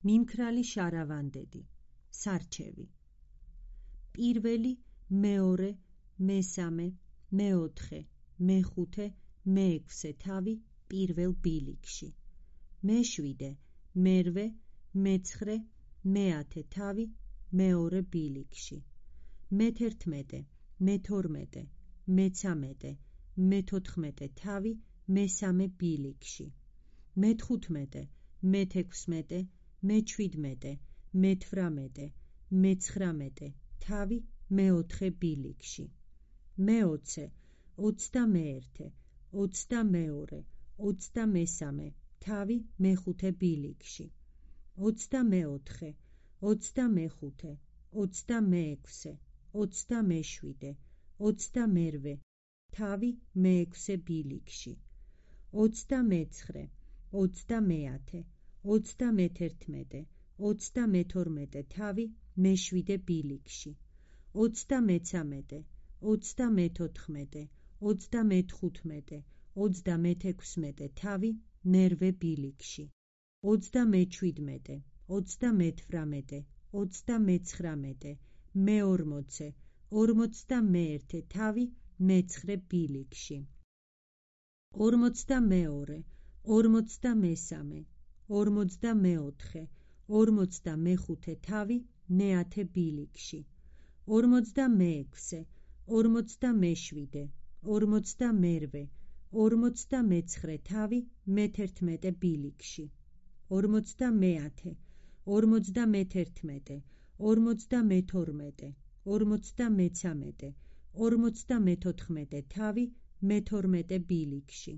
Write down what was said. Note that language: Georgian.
მიმქრალი შარავანდედი, სარჩევი. პირველი, მეორე, მესამე, მეოთხე, მეხუთე, მეექვსე თავი პირველ ბილიკში. მეშვიდე, მერვე, მეცხრე, მეათე თავი მეორე ბილიკში. მეთერთმეტე, მეთორმეტე, მეცამეტე, მეთოთხმეტე თავი მესამე ბილიკში. მეთხუთმეტე, მეთექვსმეტე, მეჩვიდმეტე, მეთვრამეტე, მეცხრამეტე თავი მეოთხე ბილიკში. მეოცე, ოცდამეერთე, ოცდამეორე, ოცდამესამე თავი მეხუთე ბილიკში. ოცდამეოთხე, ოცდამეხუთე, ოცდამეექვსე, ოცდამეშვიდე, ოცდამერვე თავი მეექვსე ბილიკში. ოცდამეცხრე, ოცდამეათე, ოცდამეთერთმეტე, ოცდამეთორმეტე თავი მეშვიდე ბილიკში. ოცდამეცამეტე, ოცდამეთოთხმეტე, ოცდამეთხუთმეტე, ოცდამეთექვსმეტე თავი მერვე ბილიკში. ოცდამეჩვიდმეტე, ოცდამეთვრამეტე, ოცდამეცხრამეტე, მეორმოცე, ორმოცდამეერთე თავი მეცხრე ბილიკში. ორმოცდამეორე, ორმოცდამესამე, ორმოცდამეოთხე, ორმოცდამეხუთე თავი მეათე ბილიკში. ორმოცდამეექვსე, ორმოცდამეშვიდე, ორმოცდამერვე, ორმოცდამეცხრე თავი მეთერთმეტე ბილიკში. ორმოცდამეათე, ორმოცდამეთერთმეტე, ორმოცდამეთორმეტე, ორმოცდამეცამეტე, ორმოცდამეთოთხმეტე თავი მეთორმეტე ბილიკში.